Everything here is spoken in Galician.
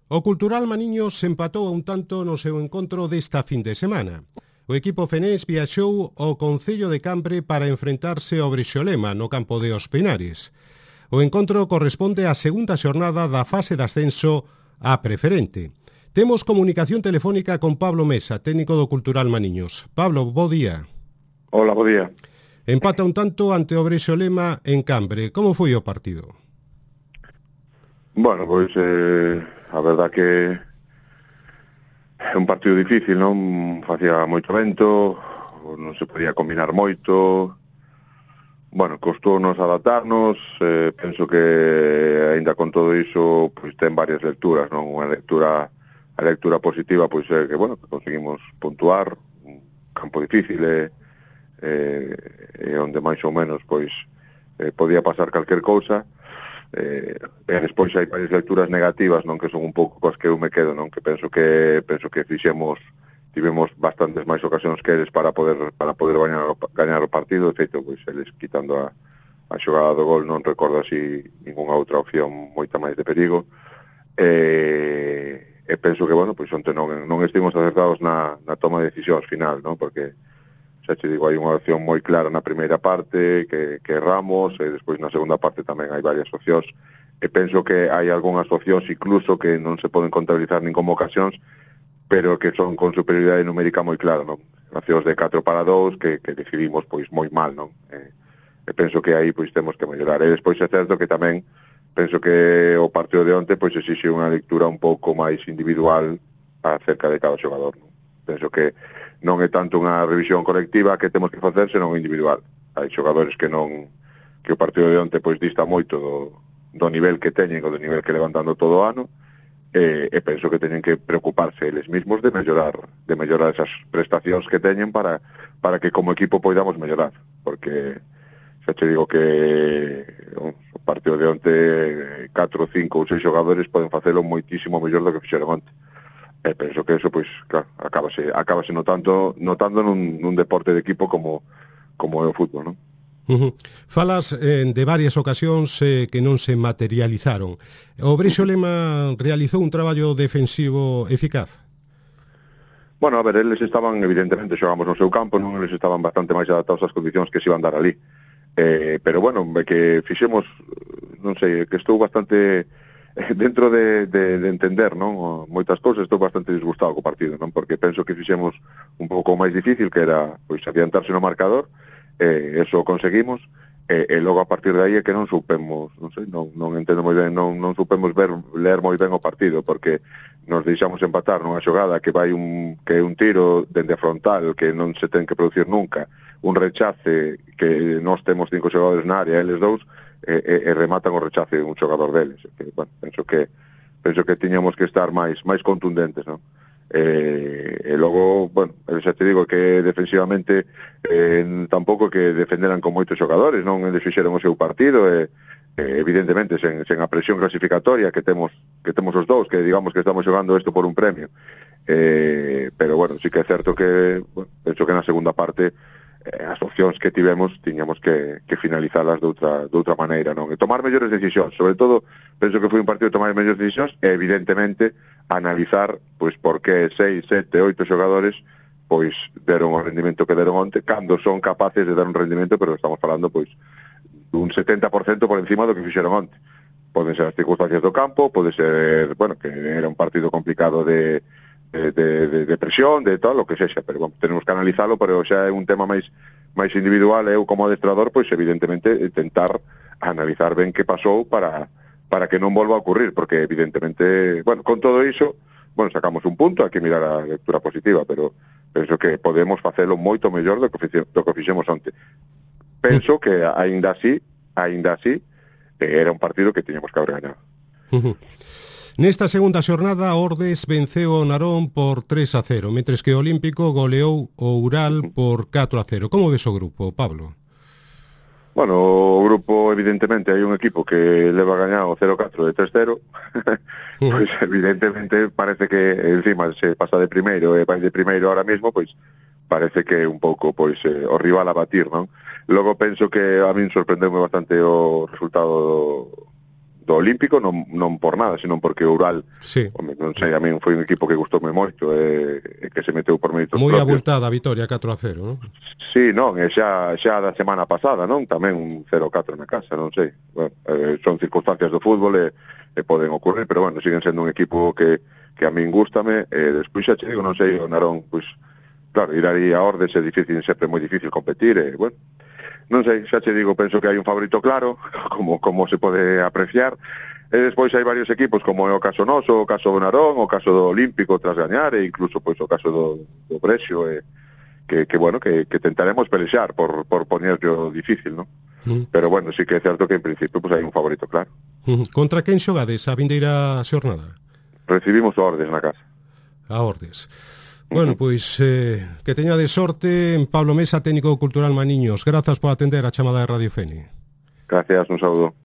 O Cultural Maniños empatou a un tanto no seu encontro desta fin de semana. O equipo fenés viaxou ao Concello de Cambre para enfrentarse ao Brexolema no campo de Os Penares. O encontro corresponde á segunda xornada da fase de ascenso á preferente. Temos comunicación telefónica con Pablo Mesa, técnico do Cultural Maniños. Pablo, bo día. Hola, bo día. Empata un tanto ante o Brexolema en Cambre. Como foi o partido? Bueno, pois a verdad que é un partido difícil, non? Facía moito vento, non se podía combinar moito. Bueno, costounos adaptarnos, penso que aínda con todo iso, pois ten varias lecturas, non? A lectura positiva pois é que, bueno, que conseguimos puntuar, un campo difícil e onde máis ou menos pois podía pasar calquer cousa. E despois hai varias lecturas negativas, non, que son un pouco coas que eu me quedo, non, que penso que tivemos bastantes máis ocasións que eles para poder gañar o partido. De feito, pois eles quitando a xogada do gol non recordo así ningunha outra opción moita máis de perigo. E penso que, bueno, pois onte non estivemos acertados na toma de decisións final, non, porque xa te digo, hai unha opción moi clara na primeira parte que erramos, e despois na segunda parte tamén hai varias opcións, e penso que hai algunhas opcións incluso que non se poden contabilizar nin como ocasións, pero que son con superioridade numérica moi clara, non? Opcións de 4-2 que decidimos pois moi mal, non? E penso que aí pois temos que mellorar. E despois é certo que tamén penso que o partido de onte pois exixe unha lectura un pouco máis individual acerca de cada xogador, non? Penso que non é tanto unha revisión colectiva que temos que facer, senón individual. Hai xogadores que o partido de onte pois dista moito do nivel que teñen ou do nivel que levantando todo o ano, e penso que teñen que preocuparse eles mesmos de mellorar esas prestacións que teñen para que como equipo poidamos mellorar, porque xa te digo que o partido de onte 4, 5 ou 6 xogadores poden facelo moitísimo mellor do que fixeron onte. Penso que eso, pois, claro, acabase notando nun deporte de equipo como é o fútbol, non? Falas de varias ocasións que non se materializaron. O Brexolema realizou un traballo defensivo eficaz? Bueno, a ver, eles estaban, evidentemente, xogamos no seu campo, non? Eles estaban bastante máis adaptados ás condicións que se iban dar ali. Pero, bueno, que fixemos, non sei, que estou bastante dentro de entender, non, moitas cousas. Estou bastante disgustado co partido, non, porque penso que fixemos un pouco máis difícil, que era pois adiantarse no marcador, eso conseguimos, e logo a partir de aí é que non supemos, non sei, non entendo moi ben, non supemos ler moi ben o partido, porque nos deixamos empatar nunha xogada que é un tiro dende a frontal que non se ten que producir nunca, un rechace que nós temos 5 xogadores na área, eles dous, e rematan o rechace un xogador deles. Bueno, penso que tiñamos que estar máis contundentes, non? E logo, bueno, xa te digo que defensivamente tampouco que defenderan con moitos xogadores, non? Eles fixeron o seu partido e evidentemente sen a presión clasificatoria que temos os dous, que digamos que estamos xogando isto por un premio. Pero bueno, sí que é certo que, bueno, penso que na segunda parte as opcións que tiñamos que finalizalas de outra maneira, non? E tomar mellores decisións, sobre todo, penso que foi un partido de tomar mellores decisións e, evidentemente, analizar, pois, por que 6, 7, 8 xogadores, pois, deron o rendimento que deron onte, cando son capaces de dar un rendimento, pero estamos falando, pois, dun 70% por encima do que fixeron onte. Poden ser as circunstancias do campo, pode ser, bueno, que era un partido complicado de presión, de tal, o que sexa, pero bueno, tenemos que analizalo, pero xa é un tema máis individual. Eu como adestrador, pois evidentemente tentar analizar ben que pasou para que non volva a ocurrir, porque evidentemente, bueno, con todo iso, bueno, sacamos un punto, hai que mirar a lectura positiva, pero penso que podemos facelo moito mellor do que fixemos onte. Penso que aínda así, era un partido que tiñamos que haber gañado. Nesta segunda xornada, Ordes venceu o Narón por 3-0, mentres que o Olímpico goleou o Ural por 4-0. Como ves o grupo, Pablo? Bueno, o grupo, evidentemente, hai un equipo que leva gañado 0-4 de 3-0, pois evidentemente parece que encima se pasa de primeiro e vai de primeiro ahora mismo, pois parece que é un pouco pois o rival a batir, non? Logo penso que a min sorprendeume bastante o resultado Olímpico, non por nada, sino porque o Ural, sí. Non sei, a min foi un equipo que gustoume moito, que se meteu por méritos moi propios. abultada a vitoria 4-0, non? Sí, non, e xa da semana pasada, non? Tamén un 0-4 na casa, non sei. Bueno, son circunstancias do fútbol e poden ocurrir, pero bueno, siguen sendo un equipo que a min gústame, e despois xa che digo, non sei, o Narón, pois, claro, ir aí a Ordes é difícil, sempre moi difícil competir, e bueno, non sei, xa che digo, penso que hai un favorito claro, como se pode apreciar, e despois hai varios equipos, como é o caso noso, o caso do Narón, o caso do Olímpico tras gañar, e incluso pois o caso do Brexio, que bueno, que tentaremos pelexar por ponerlo difícil, non? Pero bueno, sí que é certo que en principio pues hai un favorito claro. Contra quen xogades a vindeira xornada? Recibimos a Ordes na casa. A Ordes. Bueno, pois que teñades sorte. Pablo Mesa, técnico cultural Maniños. Grazas por atender a chamada de Radio Fene. Gracias, un saúdo.